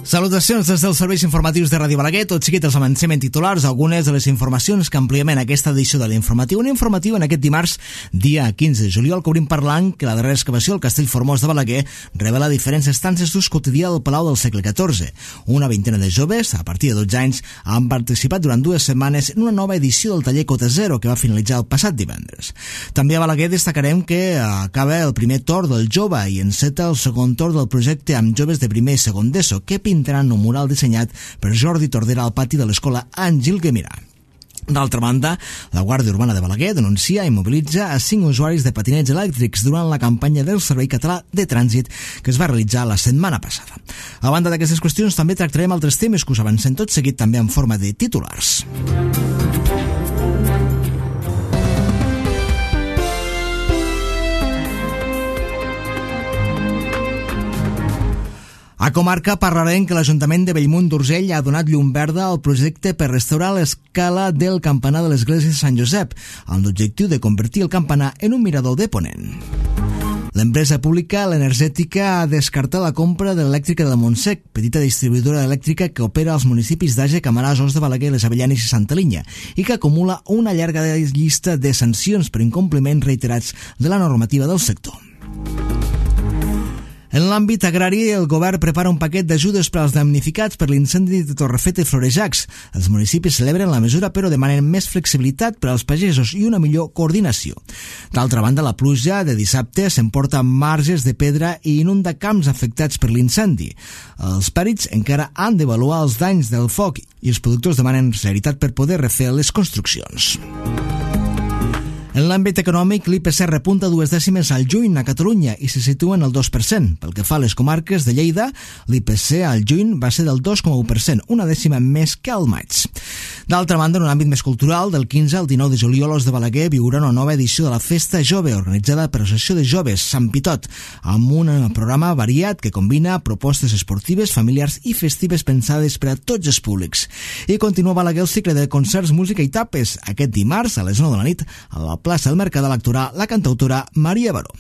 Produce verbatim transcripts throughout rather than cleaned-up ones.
Salutacions des dels serveis informatius de Ràdio Balaguer. Tot seguit els avancem en titulars algunes de les informacions que ampliem en aquesta edició de l'informatiu. Un informatiu en aquest dimarts, dia quinze de juliol, que obrim parlant que la darrera excavació al Castell Formós de Balaguer revela diferents estances d'ús quotidià del Palau del segle catorze. Una vintena de joves, a partir de dotze anys, han participat durant dues setmanes en una nova edició del taller Cota Zero, que va finalitzar el passat divendres. També a Balaguer destacarem que acaba el primer torn del jove i enceta el segon torn del projecte amb joves de primer i segon d'ESO, que pintaran un mural dissenyat per Jordi Tordera al pati de l'escola Àngel Guimerà. D'altra banda, la Guàrdia Urbana de Balaguer denuncia i mobilitza a cinc usuaris de patinets elèctrics durant la campanya del Servei Català de Trànsit que es va realitzar la setmana passada. A banda d'aquestes qüestions, també tractarem altres temes que us avancem tot seguit també en forma de titulars. A comarca parlarem que l'Ajuntament de Bellmunt d'Urgell ha donat llum verda al projecte per restaurar l'escala del campanar de l'església de Sant Josep, amb l'objectiu de convertir el campanar en un mirador de ponent. L'empresa pública l'Energètica ha descartat la compra de l'elèctrica del Montsec, petita distribuïdora elèctrica que opera als municipis d'Àger, Camarasa, Os de Balaguer, Les Avellanes i Santa Linya, i que acumula una llarga llista de sancions per incompliments reiterats de la normativa del sector. En l'àmbit agrari, el govern prepara un paquet d'ajudes per als damnificats per l'incendi de Torrefeta i Florejacs. Els municipis celebren la mesura però demanen més flexibilitat per als pagesos i una millor coordinació. D'altra banda, la pluja de dissabte s'emporta marges de pedra i inunda camps afectats per l'incendi. Els pèrits encara han d'avaluar els danys del foc i els productors demanen celeritat per poder refer les construccions. En l'àmbit econòmic, l'I P C repunta dues dècimes al juny a Catalunya i se situa en el dos per cent. Pel que fa a les comarques de Lleida, l'I P C al juny va ser del dos coma u per cent, una dècima més que al maig. D'altra banda, en un àmbit més cultural, del quinze al dinou de juliol, Os de Balaguer viurà una nova edició de la Festa Jove, organitzada per l'Associació de Joves Sant Pitot, amb un programa variat que combina propostes esportives, familiars i festives pensades per a tots els públics. I continua a Balaguer el cicle de concerts, música i tapes, aquest dimarts a les nou de la nit a la plaça del Mercat d'actuar la cantautora Maria Baró.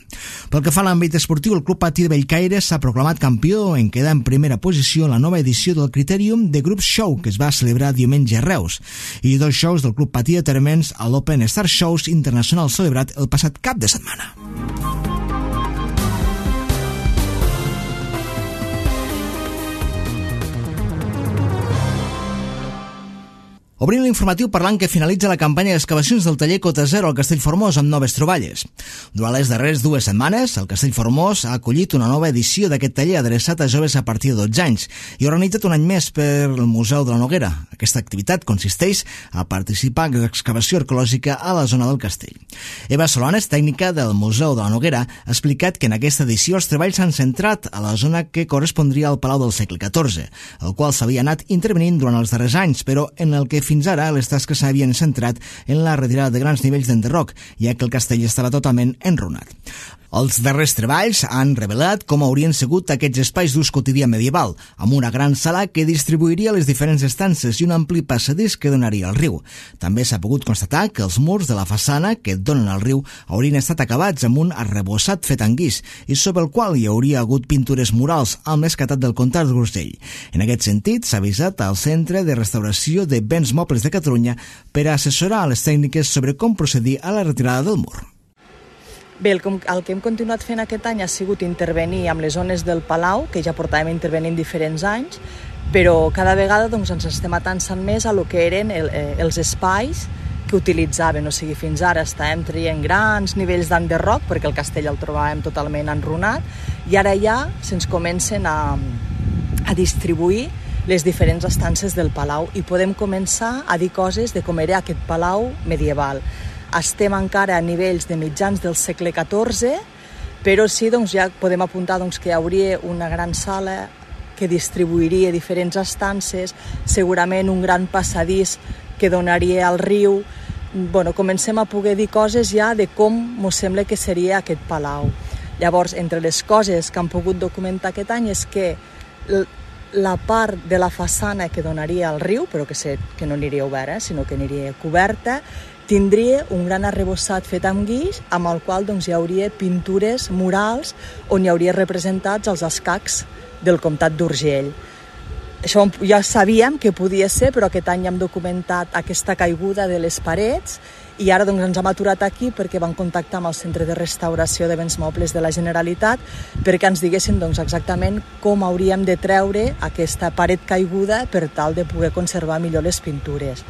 Pel que fa a l'àmbit esportiu, el Club Patí de Bellcaire s'ha proclamat campió en quedar en primera posició en la nova edició del Critérium de Group Show que es va celebrar diumenge a Reus, i dos shows del Club Patí de Térmens a l'Open Star Shows Internacional celebrat el passat cap de setmana. Obrim l'informatiu parlant que finalitza la campanya d'excavacions del taller Cota Zero al Castell Formós amb noves troballes. Durant les darreres dues setmanes, el Castell Formós ha acollit una nova edició d'aquest taller adreçat a joves a partir de dotze anys i organitzat un any més per el Museu de la Noguera. Aquesta activitat consisteix a participar en l'excavació arqueològica a la zona del castell. Eva Solanes, tècnica del Museu de la Noguera, ha explicat que en aquesta edició els treballs s'han centrat a la zona que correspondria al Palau del segle catorze, el qual s'havia anat intervenint durant els darrers anys, però en el que fins ara les tasques s'havien centrat en la retirada de grans nivells d'enderroc, ja que el castell estava totalment enrunat. Els darrers treballs han revelat com haurien sigut aquests espais d'ús quotidià medieval, amb una gran sala que distribuiria les diferents estances i un ampli passadís que donaria al riu. També s'ha pogut constatar que els murs de la façana que donen al riu haurien estat acabats amb un arrebossat fet en guix i sobre el qual hi hauria hagut pintures murals amb l'escatat del comtat d'Urgell. En aquest sentit, s'ha avisat al Centre de Restauració de Béns Mobles de Catalunya per a assessorar a les tècniques sobre com procedir a la retirada del mur. Bé, el, el que hem continuat fent aquest any ha sigut intervenir amb les zones del Palau, que ja portàvem intervenint diferents anys, però cada vegada doncs, ens estem atançant més a lo que eren el, eh, els espais que utilitzaven. O sigui, fins ara estàvem traient grans nivells d'enderroc, perquè el castell el trobàvem totalment enrunat, i ara ja se'ns comencen a, a distribuir les diferents estances del Palau i podem començar a dir coses de com era aquest Palau medieval. Estem encara a nivells de mitjans del segle catorze, però sí, doncs, ja podem apuntar doncs, que hi hauria una gran sala que distribuiria diferents estances, segurament un gran passadís que donaria al riu. Bueno, comencem a poder dir coses ja de com mos sembla que seria aquest palau. Llavors, entre les coses que han pogut documentar aquest any és que la part de la façana que donaria al riu, però que, sé, que no aniria oberta, eh, sinó que aniria coberta, tindria un gran arrebossat fet amb guix, amb el qual doncs, hi hauria pintures murals on hi hauria representats els escacs del comtat d'Urgell. Això ja sabíem que podia ser, però aquest any hem documentat aquesta caiguda de les parets i ara doncs, ens hem aturat aquí perquè vam contactar amb el Centre de Restauració de Béns Mobles de la Generalitat perquè ens diguessin doncs, exactament com hauríem de treure aquesta paret caiguda per tal de poder conservar millor les pintures.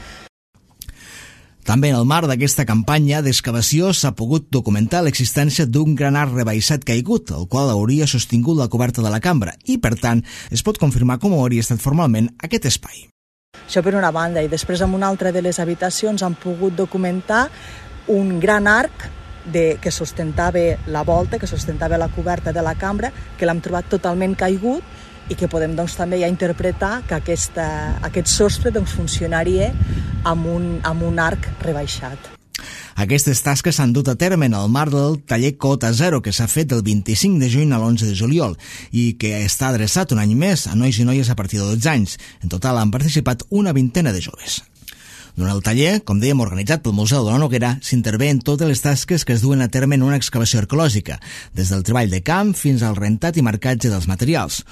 També en el marc d'aquesta campanya d'excavació s'ha pogut documentar l'existència d'un gran arc rebaixat caigut, el qual hauria sostingut la coberta de la cambra i, per tant, es pot confirmar com hauria estat formalment aquest espai. Això per una banda, i després en una altra de les habitacions han pogut documentar un gran arc de, que sustentava la volta, que sustentava la coberta de la cambra, que l'hem trobat totalment caigut i que podem doncs, també ja interpretar que aquesta, aquest sostre doncs, funcionaria amb un, amb un arc rebaixat. Aquestes tasques s'han dut a terme en el marc del taller Cota Zero, que s'ha fet del vint-i-cinc de juny a l'onze de juliol i que està adreçat un any més a nois i noies a partir de dotze anys. En total han participat una vintena de joves. Durant el taller, com dèiem, organitzat pel Museu de la Noguera, s'intervé en totes les tasques que es duen a terme en una excavació arqueològica, des del treball de camp fins al rentat i marcatge dels materials.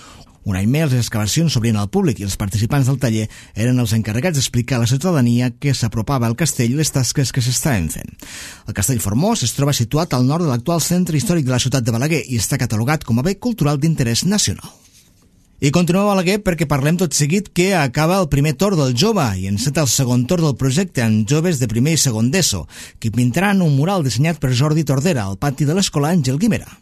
Un any més, les excavacions s'obrien al públic i els participants del taller eren els encarregats d'explicar a la ciutadania que s'apropava al castell i les tasques que s'estaven fent. El castell Formós es troba situat al nord de l'actual centre històric de la ciutat de Balaguer i està catalogat com a bé cultural d'interès nacional. I continuem a Balaguer perquè parlem tot seguit que acaba el primer torn del Jove i enceta el segon torn del projecte amb joves de primer i segon d'ESO, que pintaran un mural dissenyat per Jordi Tordera al pati de l'escola Àngel Guimerà.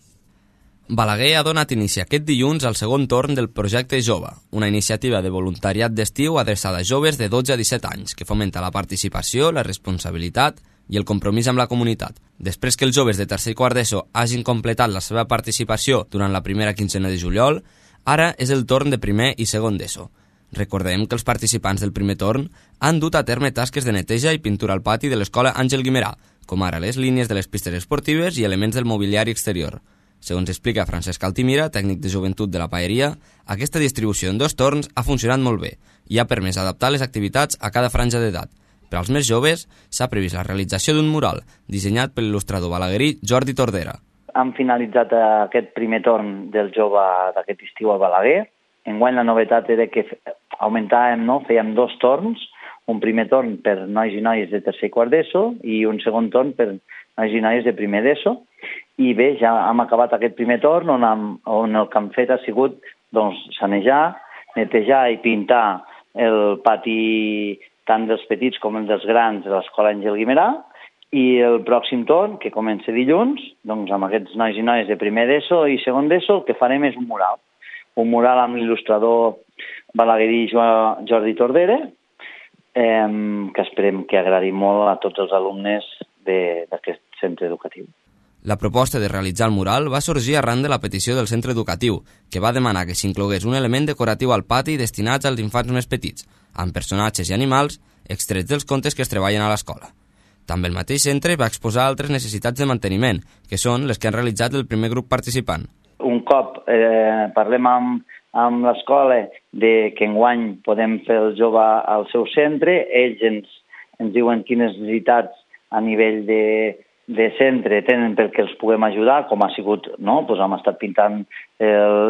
Balaguer ha donat inici aquest dilluns al segon torn del projecte Jove, una iniciativa de voluntariat d'estiu adreçada a joves de dotze a disset anys que fomenta la participació, la responsabilitat i el compromís amb la comunitat. Després que els joves de tercer i quart d'ESO hagin completat la seva participació durant la primera quinzena de juliol, ara és el torn de primer i segon d'ESO. Recordem que els participants del primer torn han dut a terme tasques de neteja i pintura al pati de l'escola Àngel Guimerà, com ara les línies de les pistes esportives i elements del mobiliari exterior. Segons explica Francesc Altimira, tècnic de joventut de la paeria, aquesta distribució en dos torns ha funcionat molt bé i ha permès adaptar les activitats a cada franja d'edat. Per als més joves, s'ha previst la realització d'un mural dissenyat per l'il·lustrador balaguerí Jordi Tordera. Hem finalitzat aquest primer torn del jove d'aquest estiu a Balaguer. Enguany la novetat era que augmentàvem, no? Fèiem dos torns, un primer torn per nois i noies de tercer i quart d'ESO i un segon torn per nois i noies de primer d'ESO. I bé, ja hem acabat aquest primer torn on, hem, on el que hem fet ha sigut doncs, sanejar, netejar i pintar el pati tant dels petits com els dels grans de l'escola Àngel Guimerà i el pròxim torn, que comença dilluns, doncs amb aquests nois i noies de primer d'ESO i segon d'ESO, el que farem és un mural. Un mural amb l'il·lustrador balaguerí Jordi Tordera, eh, que esperem que agradi molt a tots els alumnes d'aquest centre educatiu. La proposta de realitzar el mural va sorgir arran de la petició del centre educatiu, que va demanar que s'inclogués un element decoratiu al pati destinat als infants més petits, amb personatges i animals extrets dels contes que es treballen a l'escola. També el mateix centre va exposar altres necessitats de manteniment, que són les que han realitzat el primer grup participant. Un cop eh, parlem amb, amb l'escola de que enguany podem fer el jove al seu centre, ells ens, ens diuen quines necessitats a nivell de de centre tenen perquè els puguem ajudar, com ha sigut, no? Pues hem estat pintant eh,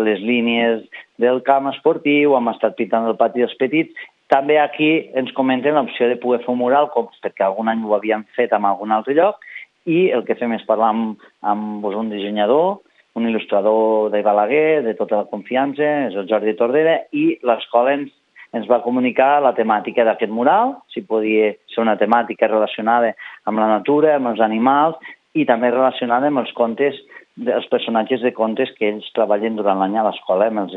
les línies del camp esportiu, hem estat pintant el pati dels petits. També aquí ens comenten l'opció de poder fer un mural, com, perquè algun any ho havíem fet en algun altre lloc, i el que fem és parlar amb, amb pues, un dissenyador, un il·lustrador de Balaguer, de tota la confiança, és el Jordi Tordera, i l'escola ens ens va comunicar la temàtica d'aquest mural, si podia ser una temàtica relacionada amb la natura, amb els animals, i també relacionada amb els contes, els personatges de contes que ells treballen durant l'any a l'escola amb,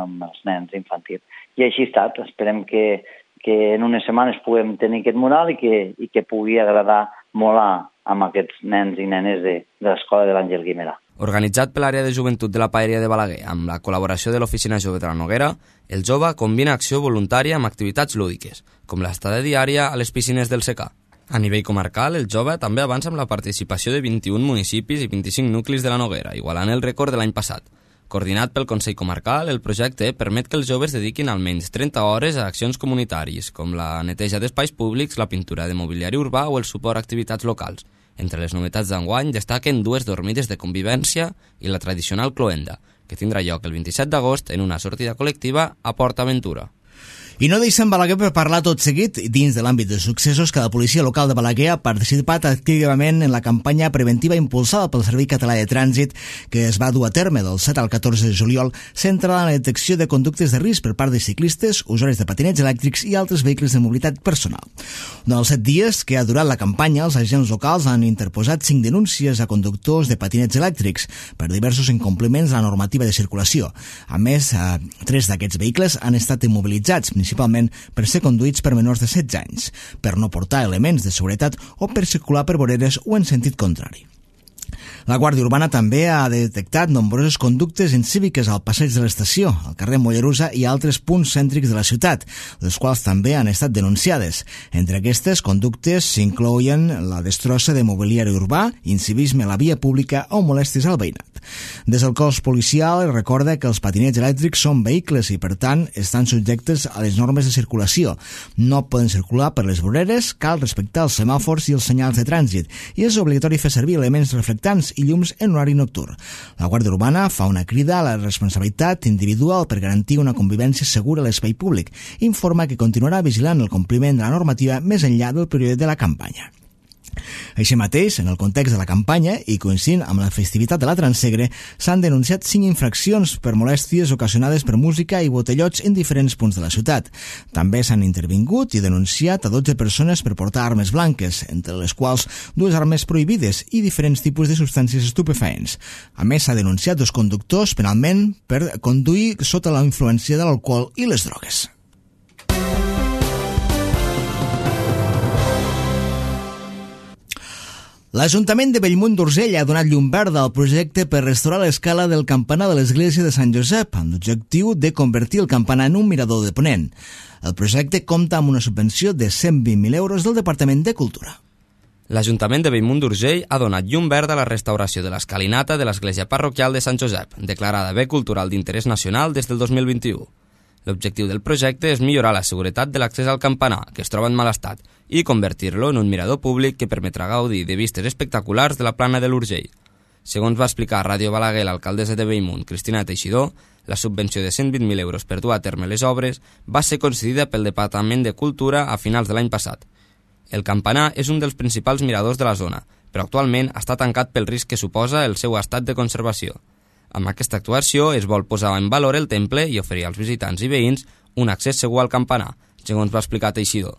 amb els nens infantils. I així ha estat. Esperem que, que en unes setmanes puguem tenir aquest mural i que, i que pugui agradar molt a, amb aquests nens i nenes de, de l'escola de l'Àngel Guimerà. Organitzat per l'àrea de joventut de la paeria de Balaguer amb la col·laboració de l'Oficina Jove de la Noguera, el jove combina acció voluntària amb activitats lúdiques, com l'estada diària a les piscines del secà. A nivell comarcal, el jove també avança amb la participació de vint-i-un municipis i vint-i-cinc nuclis de la Noguera, igualant el rècord de l'any passat. Coordinat pel Consell Comarcal, el projecte permet que els joves dediquin almenys trenta hores a accions comunitàries, com la neteja d'espais públics, la pintura de mobiliari urbà o el suport a activitats locals. Entre les novetats d'enguany destaquen dues dormides de convivència i la tradicional cloenda, que tindrà lloc el vint-i-set d'agost en una sortida col·lectiva a Port Aventura. I no deixem Balaguer per parlar tot seguit. Dins de l'àmbit de successos, que la policia local de Balaguer ha participat activament en la campanya preventiva impulsada pel Servei Català de Trànsit que es va dur a terme del set al catorze de juliol, centrada en la detecció de conductes de risc per part de ciclistes, usuaris de patinets elèctrics i altres vehicles de mobilitat personal. Durant els set dies que ha durat la campanya, els agents locals han interposat cinc denúncies a conductors de patinets elèctrics per diversos incompliments de la normativa de circulació. A més, eh, tres d'aquests vehicles han estat immobilitzats, principalment per ser conduïts per menors de setze anys, per no portar elements de seguretat o per circular per voreres o en sentit contrari. La Guàrdia Urbana també ha detectat nombroses conductes incíviques al passeig de l'estació, al carrer Mollerussa i altres punts cèntrics de la ciutat, les quals també han estat denunciades. Entre aquestes conductes s'inclouen la destrossa de mobiliari urbà, incivisme a la via pública o molèsties al veïnat. Des del cos policial recorda que els patinets elèctrics són vehicles i, per tant, estan subjectes a les normes de circulació. No poden circular per les voreres, cal respectar els semàfors i els senyals de trànsit i és obligatori fer servir elements reflectants i llums en horari nocturn. La Guàrdia Urbana fa una crida a la responsabilitat individual per garantir una convivència segura a l'espai públic i informa que continuarà vigilant el compliment de la normativa més enllà del període de la campanya. Així mateix, en el context de la campanya i coincidint amb la festivitat de la Transsegre, s'han denunciat cinc infraccions per molèsties ocasionades per música i botellots en diferents punts de la ciutat. També s'han intervingut i denunciat a dotze persones per portar armes blanques, entre les quals dues armes prohibides i diferents tipus de substàncies estupefaents. A més, s'ha denunciat dos conductors penalment per conduir sota la influència de l'alcohol i les drogues. L'Ajuntament de Bellmunt d'Urgell ha donat llum verda al projecte per restaurar l'escala del campanar de l'església de Sant Josep, amb l'objectiu de convertir el campanar en un mirador de ponent. El projecte compta amb una subvenció de cent vint mil euros del Departament de Cultura. L'Ajuntament de Bellmunt d'Urgell ha donat llum verda a la restauració de l'escalinata de l'església parroquial de Sant Josep, declarada bé cultural d'interès nacional des del dos mil vint-i-u. L'objectiu del projecte és millorar la seguretat de l'accés al campanar, que es troba en mal estat, i convertir-lo en un mirador públic que permetrà gaudir de vistes espectaculars de la plana de l'Urgell. Segons va explicar a Ràdio Balaguer l'alcaldessa de Bellmunt, Cristina Teixidor, la subvenció de cent vint mil euros per dur a terme les obres va ser concedida pel Departament de Cultura a finals de l'any passat. El campanar és un dels principals miradors de la zona, però actualment està tancat pel risc que suposa el seu estat de conservació. Amb aquesta actuació es vol posar en valor el temple i oferir als visitants i veïns un accés segur al campanar, segons va explicar Teixidor.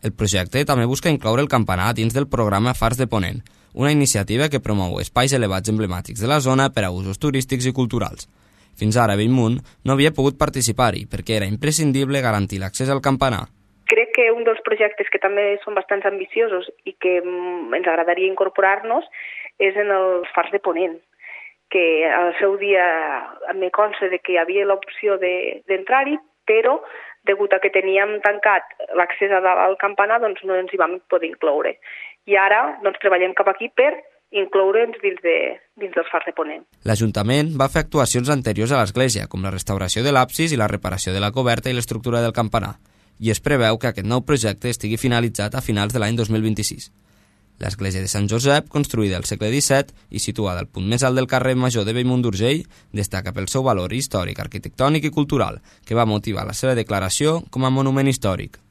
El projecte també busca incloure el campanar dins del programa Fars de Ponent, una iniciativa que promou espais elevats emblemàtics de la zona per a usos turístics i culturals. Fins ara Bellmunt no havia pogut participar-hi perquè era imprescindible garantir l'accés al campanar. Crec que un dels projectes que també són bastants ambiciosos i que ens agradaria incorporar-nos és en els Fars de Ponent, que al seu dia me consta de que hi havia l'opció d'entrar-hi, però degut a que teníem tancat l'accés al campanar, doncs no ens hi vam poder incloure. I ara doncs, treballem cap aquí per incloure'ns dins, de, dins dels Fars de Ponent. L'Ajuntament va fer actuacions anteriors a l'església, com la restauració de l'absis i la reparació de la coberta i l'estructura del campanar, i es preveu que aquest nou projecte estigui finalitzat a finals de l'any dos mil vint-i-sis. L'església de Sant Josep, construïda al segle disset i situada al punt més alt del carrer Major de Bellmunt d'Urgell, destaca pel seu valor històric, arquitectònic i cultural, que va motivar la seva declaració com a monument històric.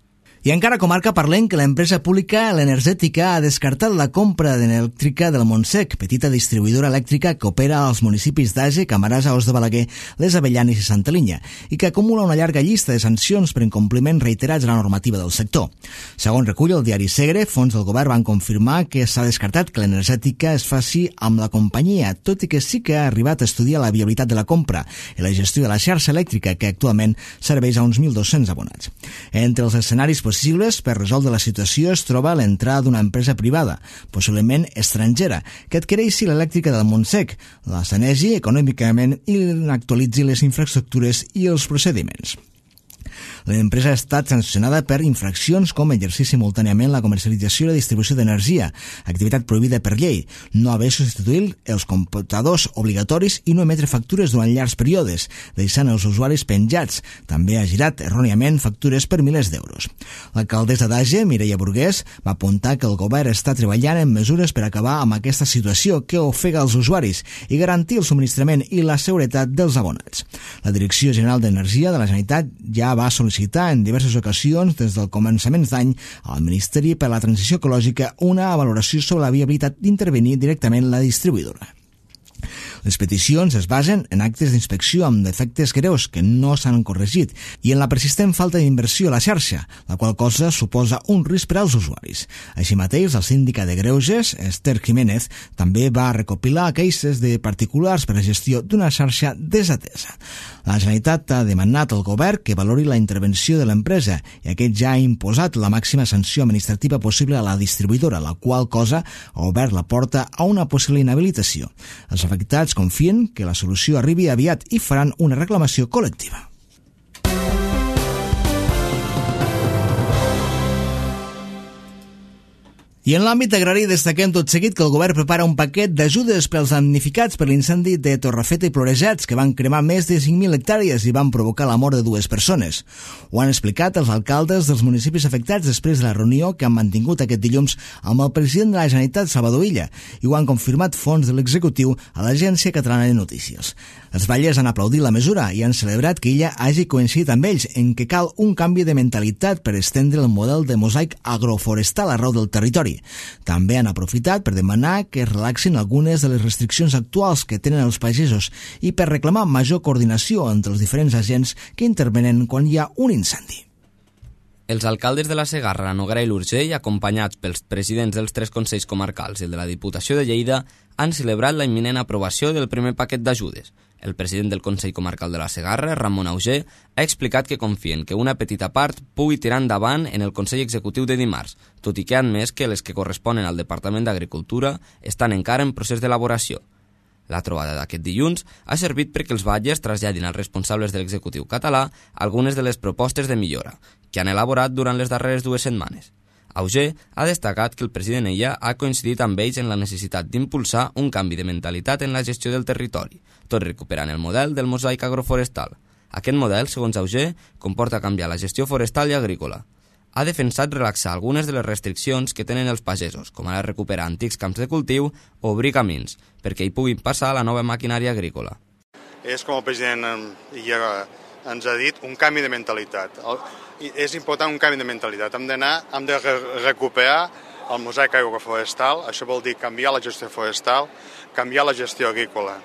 I encara comarca parlem que l'empresa pública l'Energètica ha descartat la compra d'elèctrica del Montsec, petita distribuïdora elèctrica que opera als municipis d'Age, Camarasa, Os de Balaguer, Les Avellanes i Santa Linya, i que acumula una llarga llista de sancions per incompliments reiterats de la normativa del sector. Segons recull el diari Segre, fons del govern van confirmar que s'ha descartat que l'Energètica es faci amb la companyia, tot i que sí que ha arribat a estudiar la viabilitat de la compra i la gestió de la xarxa elèctrica, que actualment serveix a uns mil dos-cents abonats. Entre els escenaris possibles per resoldre la situació es troba l'entrada d'una empresa privada, possiblement estrangera, que adquireixi l'elèctrica del Montsec, la sanegi econòmicament i actualitzi les infraestructures i els procediments. L'empresa ha estat sancionada per infraccions com exercir simultàniament la comercialització i la distribució d'energia, activitat prohibida per llei, no haver substituït els computadors obligatoris i no emetre factures durant llargs períodes, deixant els usuaris penjats. També ha girat erròniament factures per milers d'euros. L'alcaldessa d'Age, Mireia Burgués, va apuntar que el govern està treballant en mesures per acabar amb aquesta situació que ofega els usuaris i garantir el subministrament i la seguretat dels abonats. La Direcció General d'Energia de la Generalitat ja va sol·licitar sol·licitar en diverses ocasions des del començament d'any al Ministeri per a la Transició Ecològica una valoració sobre la viabilitat d'intervenir directament la distribuïdora. Les peticions es basen en actes d'inspecció amb defectes greus que no s'han corregit i en la persistent falta d'inversió a la xarxa, la qual cosa suposa un risc per als usuaris. Així mateix, el síndica de Greuges, Esther Jiménez, també va recopilar queixes de particulars per a la gestió d'una xarxa desatesa. La Generalitat ha demanat al govern que valori la intervenció de l'empresa i aquest ja ha imposat la màxima sanció administrativa possible a la distribuïdora, la qual cosa ha obert la porta a una possible inhabilitació. Els afectats confien que la solució arribi aviat i faran una reclamació col·lectiva. I en l'àmbit agrari destaquem tot seguit que el govern prepara un paquet d'ajudes pels damnificats per l'incendi de Torrefeta i Florejacs, que van cremar més de cinc mil hectàrees i van provocar la mort de dues persones. Ho han explicat els alcaldes dels municipis afectats després de la reunió que han mantingut aquest dilluns amb el president de la Generalitat, Salvador Illa, i ho han confirmat fonts de l'executiu a l'Agència Catalana de Notícies. Els batllers han aplaudit la mesura i han celebrat que Illa hagi coincidit amb ells en que cal un canvi de mentalitat per estendre el model de mosaic agroforestal arreu del territori. També han aprofitat per demanar que es relaxin algunes de les restriccions actuals que tenen els pagesos i per reclamar major coordinació entre els diferents agents que intervenen quan hi ha un incendi. Els alcaldes de la Segarra, la Noguera i l'Urgell, acompanyats pels presidents dels tres consells comarcals i el de la Diputació de Lleida, han celebrat la imminent aprovació del primer paquet d'ajudes. El president del Consell Comarcal de la Segarra, Ramon Auger, ha explicat que confien que una petita part pugui tirar endavant en el Consell Executiu de dimarts, tot i que ha admès que les que corresponen al Departament d'Agricultura estan encara en procés d'elaboració. La trobada d'aquest dilluns ha servit perquè els batllers traslladin als responsables de l'executiu català algunes de les propostes de millora que han elaborat durant les darreres dues setmanes. Auger ha destacat que el president Illa ha coincidit amb ells en la necessitat d'impulsar un canvi de mentalitat en la gestió del territori, tot recuperant el model del mosaic agroforestal. Aquest model, segons Auger, comporta canviar la gestió forestal i agrícola. Ha defensat relaxar algunes de les restriccions que tenen els pagesos, com ara recuperar antics camps de cultiu o obrir camins, perquè hi puguin passar la nova maquinària agrícola. És com el president ja ens ha dit, un canvi de mentalitat. És important un canvi de mentalitat. Hem d'anar, hem de recuperar el mosaic agroforestal, això vol dir canviar la gestió forestal, canviar la gestió agrícola.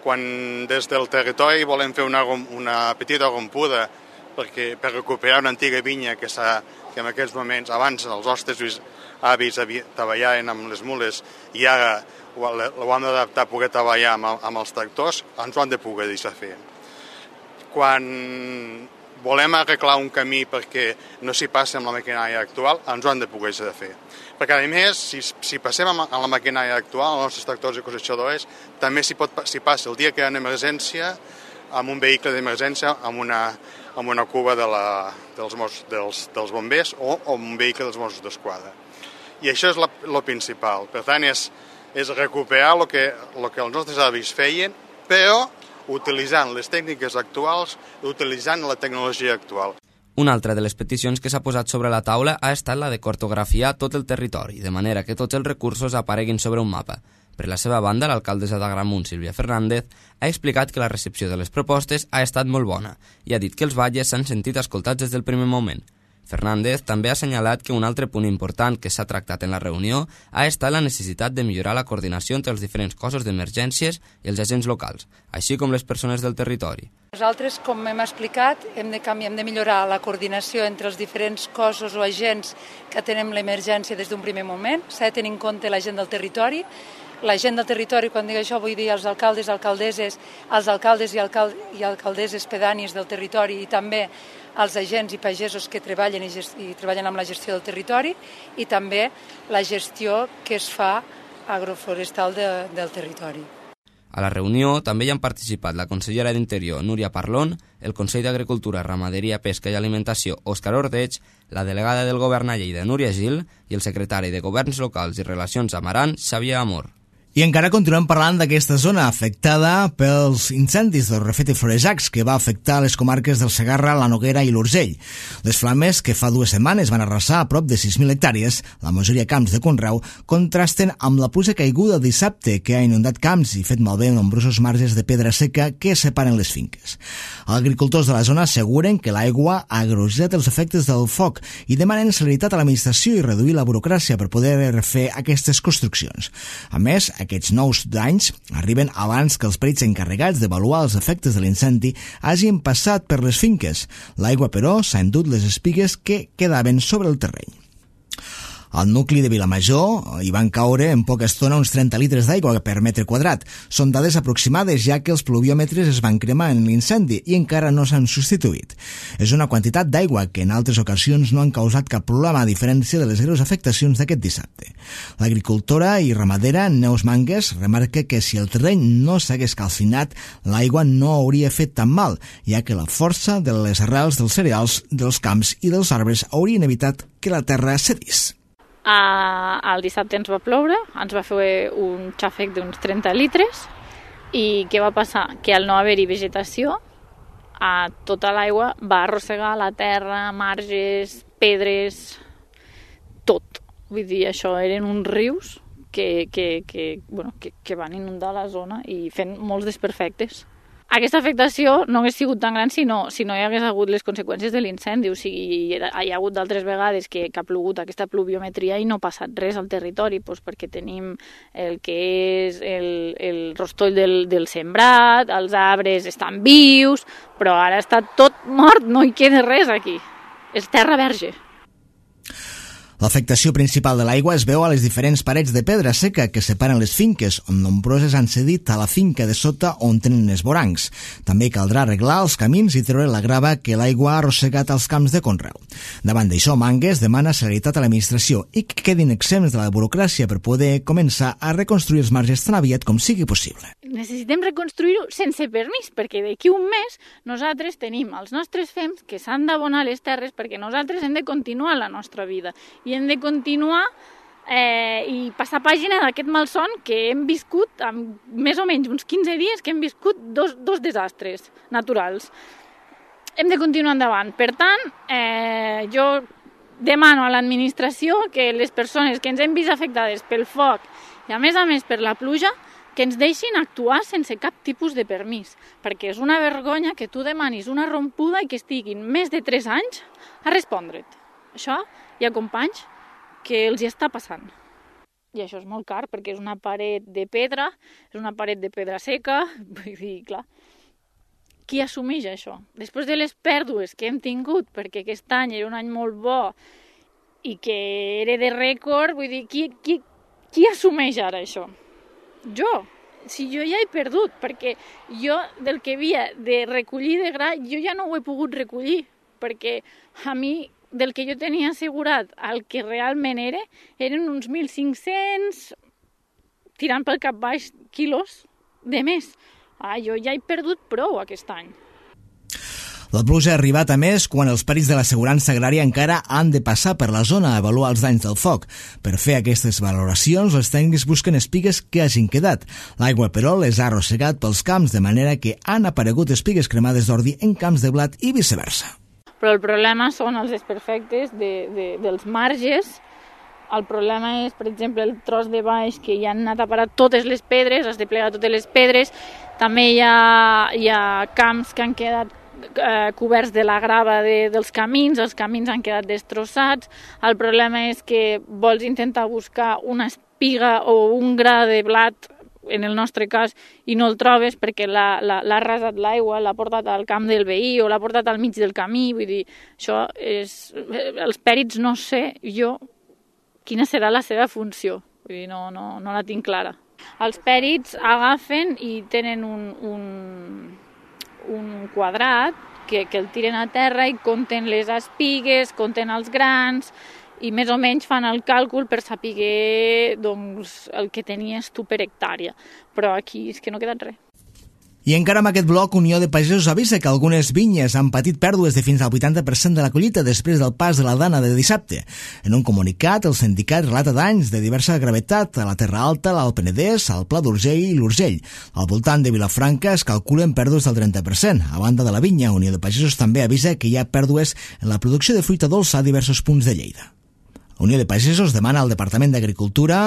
Quan des del territori volem fer una, una petita rompuda perquè, per recuperar una antiga vinya que, que en aquests moments, abans els nostres avis treballaven amb les mules i ara ho, ho hem d'adaptar a poder treballar amb, amb els tractors, ens ho han de poder deixar fer. Quan volem arreglar un camí perquè no s'hi passi amb la maquinària actual, ens ho han de poder deixar de fer. Perquè, a més, si, si passem amb la maquinària actual, els nostres tractors i cosechadors, també s'hi passa el dia que hi ha una emergència amb un vehicle d'emergència, amb una, amb una cuba de la, dels, dels, dels bombers o amb un vehicle dels Mossos d'Esquadra. I això és el principal. Per tant, és, és recuperar el que, el que els nostres avis feien, però utilitzant les tècniques actuals i utilitzant la tecnologia actual. Una altra de les peticions que s'ha posat sobre la taula ha estat la de cartografiar tot el territori, de manera que tots els recursos apareguin sobre un mapa. Per la seva banda, l'alcaldessa d'Agramunt, Sílvia Fernández, ha explicat que la recepció de les propostes ha estat molt bona i ha dit que els batllers s'han sentit escoltats des del primer moment. Fernández també ha assenyalat que un altre punt important que s'ha tractat en la reunió ha estat la necessitat de millorar la coordinació entre els diferents cossos d'emergències i els agents locals, així com les persones del territori. Nosaltres, com hem explicat, hem de canviar, hem de millorar la coordinació entre els diferents cossos o agents que tenen l'emergència des d'un primer moment. S'ha de tenir en compte la gent del territori. La gent del territori, quan dic això, vull dir els alcaldes, alcaldeses, els alcaldes i, alcal i alcaldeses pedànies del territori i també els agents i pagesos que treballen i, i treballen amb la gestió del territori i també la gestió que es fa agroforestal de, del territori. A la reunió també hi han participat la consellera d'Interior, Núria Parlon, el Consell d'Agricultura, Ramaderia, Pesca i Alimentació, Òscar Ordeig, la delegada del Govern a Lleida, Núria Gil, i el secretari de Governs Locals i Relacions amb Aran, Xavier Amor. I encara continuem parlant d'aquesta zona afectada pels incendis del Refet i Florejacs, que va afectar les comarques del Segarra, la Noguera i l'Urgell. Les flames, que fa dues setmanes van arrasar a prop de sis mil hectàrees, la majoria camps de conreu, contrasten amb la pluja caiguda el dissabte, que ha inundat camps i fet malbé nombrosos marges de pedra seca que separen les finques. Els agricultors de la zona asseguren que l'aigua ha agreujat els efectes del foc i demanen celeritat a l'administració i reduir la burocràcia per poder refer aquestes construccions. A més, aquests nous danys arriben abans que els perits encarregats d'avaluar els efectes de l'incendi hagin passat per les finques. L'aigua, però, s'ha endut les espigues que quedaven sobre el terreny. Al nucli de Vilamajor hi van caure en poca estona uns trenta litres d'aigua per metre quadrat. Són dades aproximades, ja que els pluviòmetres es van cremar en l'incendi i encara no s'han substituït. És una quantitat d'aigua que en altres ocasions no han causat cap problema, a diferència de les greus afectacions d'aquest dissabte. L'agricultora i ramadera Neus Mangues remarca que si el terreny no s'hagués calcinat, l'aigua no hauria fet tan mal, ja que la força de les arrels dels cereals, dels camps i dels arbres haurien evitat que la terra cedís. Uh, el dissabte ens va ploure, ens va fer un xàfec d'uns trenta litres i què va passar? Que al no haver-hi vegetació, uh, tota l'aigua va arrossegar la terra, marges, pedres, tot. Vull dir, això eren uns rius que, que, que, bueno, que, que van inundar la zona i fent molts desperfectes. Aquesta afectació no hagués sigut tan gran si no, si no hi hagués hagut les conseqüències de l'incendi. O sigui, hi ha hagut d'altres vegades que, que ha plogut aquesta pluviometria i no ha passat res al territori, doncs perquè tenim el que és el, el rostoll del, del sembrat, els arbres estan vius, però ara està tot mort, no hi queda res aquí. És terra verge. L'afectació principal de l'aigua es veu a les diferents parets de pedra seca que separen les finques, on nombroses han cedit a la finca de sota on tenen esvorancs. També caldrà arreglar els camins i treure la grava que l'aigua ha arrossegat als camps de conreu. Davant d'això, Mangues demana celeritat a l'administració i que quedin exempts de la burocràcia per poder començar a reconstruir els marges tan aviat com sigui possible. Necessitem reconstruir-ho sense permís, perquè d'aquí un mes nosaltres tenim els nostres fems que s'han d'abonar les terres perquè nosaltres hem de continuar la nostra vida i hem de continuar eh, i passar pàgina d'aquest malson que hem viscut amb més o menys uns quinze dies que hem viscut dos, dos desastres naturals. Hem de continuar endavant. Per tant, eh, jo demano a l'administració que les persones que ens hem vist afectades pel foc i a més a més per la pluja que ens deixin actuar sense cap tipus de permís, perquè és una vergonya que tu demanis una rompuda i que estiguin més de tres anys a respondre't. Això hi ha companys que els hi està passant. I això és molt car, perquè és una paret de pedra, és una paret de pedra seca, vull dir, clar, qui assumeix això? Després de les pèrdues que hem tingut, perquè aquest any era un any molt bo i que era de rècord, vull dir, qui, qui, qui assumeix ara això? Jo. Si jo ja he perdut, perquè jo del que havia de recollir de gra, jo ja no ho he pogut recollir, perquè a mi del que jo tenia assegurat el que realment era, eren uns mil cinc-cents, tirant pel cap baix, quilos de més. Ah, jo ja he perdut prou aquest any. La pluja ha arribat a més quan els perits de l'assegurança agrària encara han de passar per la zona a avaluar els danys del foc. Per fer aquestes valoracions, els tècnics busquen espigues que hagin quedat. L'aigua, però, les ha arrossegat pels camps, de manera que han aparegut espigues cremades d'ordi en camps de blat i viceversa. Però el problema són els desperfectes de, de, dels marges. El problema és, per exemple, el tros de baix que ja han anat a parar totes les pedres, has de plegar totes les pedres. També hi ha, hi ha camps que han quedat eh, coberts de la grava de, dels camins, els camins han quedat destrossats. El problema és que vols intentar buscar una espiga o un gra de blat, en el nostre cas, i no el trobes perquè l'ha arrasat l'aigua, l'ha portat al camp del veí o l'ha portat al mig del camí. Vull dir, això és... Els pèrits no sé jo quina serà la seva funció. Vull dir, no, no, no la tinc clara. Els pèrits agafen i tenen un, un, un quadrat que, que el tiren a terra i compten les espigues, compten els grans, i més o menys fan el càlcul per saber doncs, el que tenies tu per hectàrea. Però aquí és que no ha quedat res. I encara amb aquest bloc, Unió de Pagesos avisa que algunes vinyes han patit pèrdues de fins al vuitanta per cent de la collita després del pas de la dana de dissabte. En un comunicat, el sindicat relata danys de diversa gravetat a la Terra Alta, l'Alt Penedès, al Pla d'Urgell i l'Urgell. Al voltant de Vilafranca es calculen pèrdues del trenta per cent. A banda de la vinya, Unió de Pagesos també avisa que hi ha pèrdues en la producció de fruita dolça a diversos punts de Lleida. Unió de Pagesos demana al Departament d'Agricultura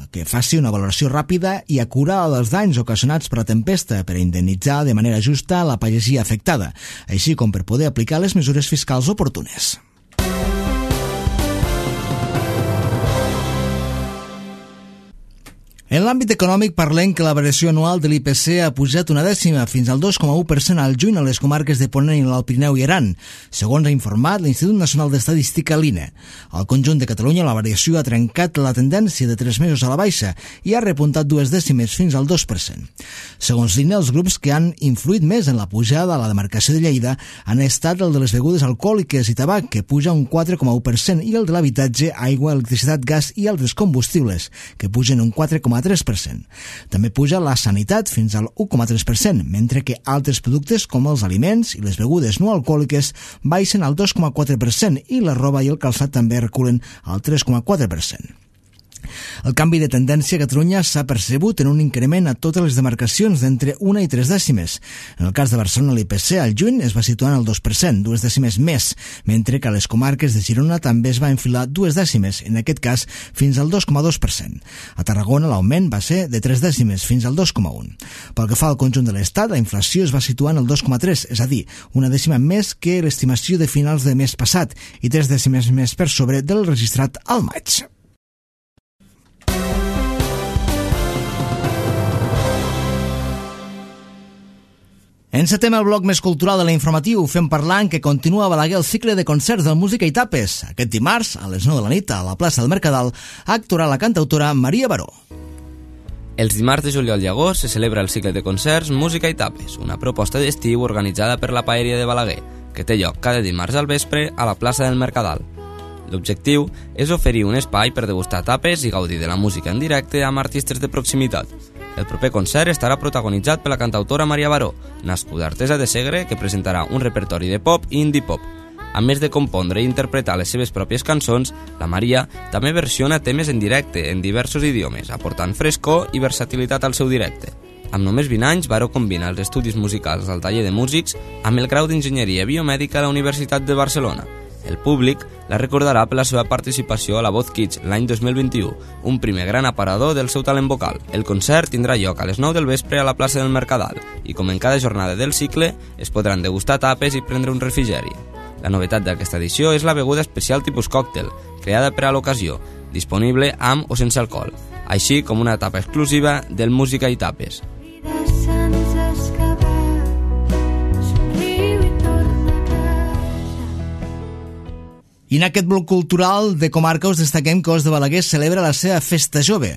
que faci una valoració ràpida i acurada dels danys ocasionats per la tempesta per a indemnitzar de manera justa la pagesia afectada, així com per poder aplicar les mesures fiscals oportunes. En l'àmbit econòmic parlem que la variació anual de l'I P C ha pujat una dècima fins al dos coma u per cent al juny a les comarques de Ponent i l'Alt Pirineu i Aran, segons ha informat l'Institut Nacional d'Estadística, l'I N E. Al conjunt de Catalunya la variació ha trencat la tendència de tres mesos a la baixa i ha repuntat dues dècimes fins al dos per cent. Segons l'I N E, els grups que han influït més en la pujada a la demarcació de Lleida han estat el de les begudes alcohòliques i tabac, que puja un quatre coma u per cent, i el de l'habitatge, aigua, electricitat, gas i altres combustibles, que pugen un quatre coma tres per cent. També puja la sanitat fins al u coma tres per cent, mentre que altres productes com els aliments i les begudes no alcohòliques baixen al dos coma quatre per cent i la roba i el calçat també reculen al tres coma quatre per cent. El canvi de tendència a Catalunya s'ha percebut en un increment a totes les demarcacions d'entre una i tres dècimes. En el cas de Barcelona, l'I P C al juny es va situar en el dos per cent, dues dècimes més, mentre que a les comarques de Girona també es va enfilar dues dècimes, en aquest cas fins al dos coma dos per cent. A Tarragona l'augment va ser de tres dècimes fins al dos coma u. Pel que fa al conjunt de l'Estat, la inflació es va situar en el dos coma tres, és a dir, una dècima més que l'estimació de finals de mes passat i tres dècimes més per sobre del registrat al maig. Encetem el bloc més cultural de l'informatiu fent parlant que continua a Balaguer el cicle de concerts de música i tapes. Aquest dimarts, a les nou de la nit, a la plaça del Mercadal, actuarà la cantautora Maria Baró. Els dimarts de juliol i agost se celebra el cicle de concerts Música i tapes, una proposta d'estiu organitzada per la Paeria de Balaguer, que té lloc cada dimarts al vespre a la plaça del Mercadal. L'objectiu és oferir un espai per degustar tapes i gaudir de la música en directe amb artistes de proximitat. El proper concert estarà protagonitzat per la cantautora Maria Baró, nascuda artesa de Segre, que presentarà un repertori de pop i indie pop. A més de compondre i interpretar les seves pròpies cançons, la Maria també versiona temes en directe en diversos idiomes, aportant frescor i versatilitat al seu directe. Amb només vint anys, Baró combina els estudis musicals al taller de músics amb el grau d'enginyeria biomèdica a la Universitat de Barcelona. El públic la recordarà per la seva participació a la Voz Kids l'any dos mil vint-i-u, un primer gran aparador del seu talent vocal. El concert tindrà lloc a les nou del vespre a la plaça del Mercadal i, com en cada jornada del cicle, es podran degustar tapes i prendre un refrigeri. La novetat d'aquesta edició és la beguda especial tipus còctel, creada per a l'ocasió, disponible amb o sense alcohol, així com una tapa exclusiva del Música i tapes. I en aquest bloc cultural de comarca us destaquem que Os de Balaguer celebra la seva festa jove.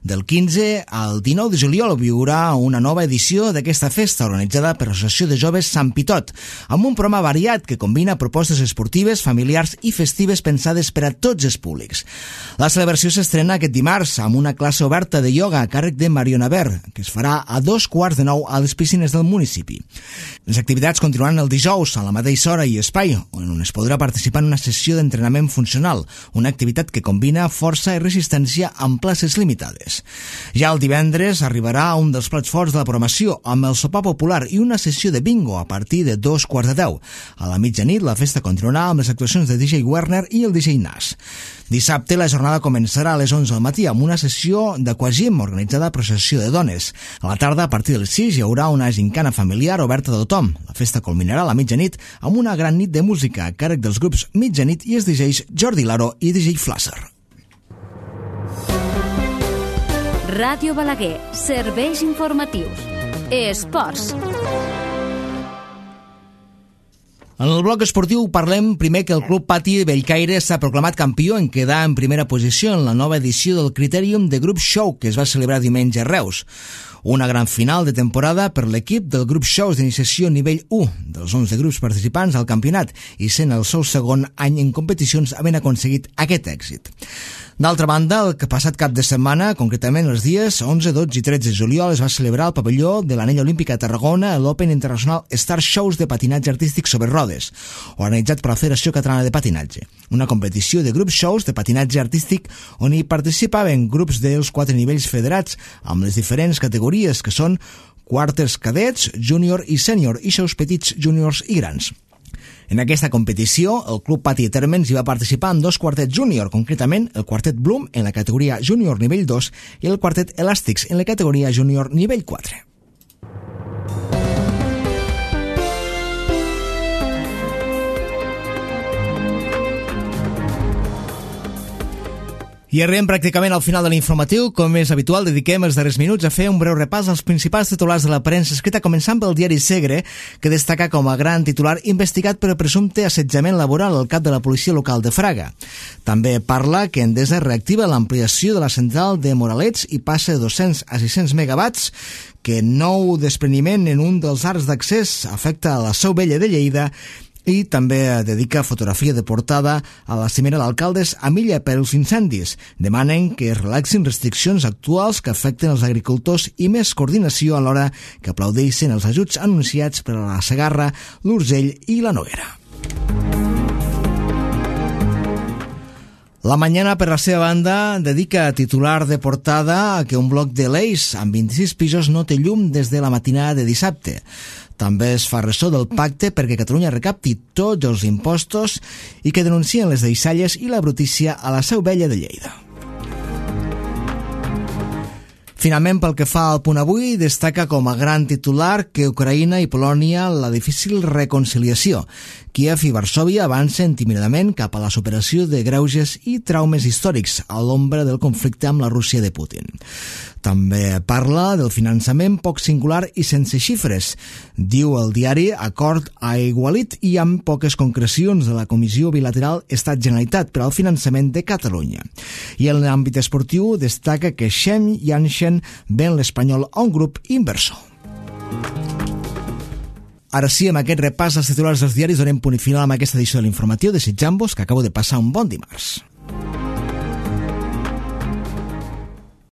Del quinze al dinou de juliol viurà una nova edició d'aquesta festa organitzada per l'Associació de Joves Sant Pitot, amb un programa variat que combina propostes esportives, familiars i festives pensades per a tots els públics. La celebració s'estrena aquest dimarts amb una classe oberta de ioga a càrrec de Mariona Ver, que es farà a dos quarts de nou a les piscines del municipi. Les activitats continuaran el dijous a la mateixa hora i espai, on es podrà participar en una sessió d'entrenament funcional, una activitat que combina força i resistència amb places limitades. Ja el divendres arribarà un dels plats forts de la programació, amb el sopar popular i una sessió de bingo a partir de dos quarts de deu. A la mitjanit la festa continuarà amb les actuacions de D J Werner i el D J Nas. Dissabte la jornada començarà a les onze del matí amb una sessió d'aquagym organitzada per l'Associació de Dones. A la tarda, a partir dels sis, hi haurà una gincana familiar oberta a tothom. La festa culminarà a la mitjanit amb una gran nit de música a càrrec dels grups Mitjanit i els D Js Jordi Laro i D J Flasser. Ràdio Balaguer, serveis informatius. Esports. En el bloc esportiu parlem primer que el Club Pati Bellcaire s'ha proclamat campió en quedar en primera posició en la nova edició del Critérium de Group Show que es va celebrar diumenge a Reus. Una gran final de temporada per l'equip del Group Shows d'iniciació nivell u, dels onze grups participants al campionat, i sent el seu segon any en competicions havent aconseguit aquest èxit. D'altra banda, el que passat cap de setmana, concretament els dies onze, dotze i tretze de juliol, es va celebrar al pavelló de l'Anella Olímpica de Tarragona l'Open International Star Shows de patinatge artístic sobre rodes, organitzat per la Federació Catalana de Patinatge, una competició de grup shows de patinatge artístic on hi participaven grups dels quatre nivells federats amb les diferents categories que són quarters cadets, júnior i sènior i shows petits, júniors i grans. En aquesta competició, el Club Pati Térmens hi va participar amb dos quartets júnior, concretament el quartet Bloom en la categoria júnior nivell dos i el quartet Elàstics en la categoria júnior nivell quatre. I arribem pràcticament al final de l'informatiu. Com és habitual, dediquem els darrers minuts a fer un breu repàs als principals titulars de la premsa escrita, començant pel diari Segre, que destaca com a gran titular investigat per presumpte assetjament laboral al cap de la policia local de Fraga. També parla que Endesa reactiva l'ampliació de la central de Moralets i passa de dos-cents a sis-cents megawatts, que nou despreniment en un dels arcs d'accés afecta a la Seu Vella de Lleida, i també dedica fotografia de portada a la cimera d'alcaldes a Milla per als incendis. Demanen que es relaxin restriccions actuals que afecten els agricultors i més coordinació a l'hora que aplaudeixen els ajuts anunciats per a la Segarra, l'Urgell i la Noguera. La Mañana, per la seva banda, dedica titular de portada a que un bloc de l'Eix amb vint-i-sis pisos no té llum des de la matinada de dissabte. També es fa ressò del pacte perquè Catalunya recapti tots els impostos i que denuncien les deixalles i la brutícia a la Seu Vella de Lleida. Finalment, pel que fa al Punt Avui, destaca com a gran titular que Ucraïna i Polònia la difícil reconciliació. Kíev i Varsòvia avancen tímidament cap a la superació de greuges i traumes històrics a l'ombra del conflicte amb la Rússia de Putin. També parla del finançament poc singular i sense xifres. Diu el diari acord aigualit i amb poques concrecions de la Comissió Bilateral Estat-Generalitat per al finançament de Catalunya. I en l'àmbit esportiu destaca que Shem Janssen ven l'Espanyol a un grup inversor. Ara sí, amb aquest repàs als titulars dels diaris donem punt i final amb aquesta edició de l'informatiu, desitjant-vos que acabo de passar un bon dimarts.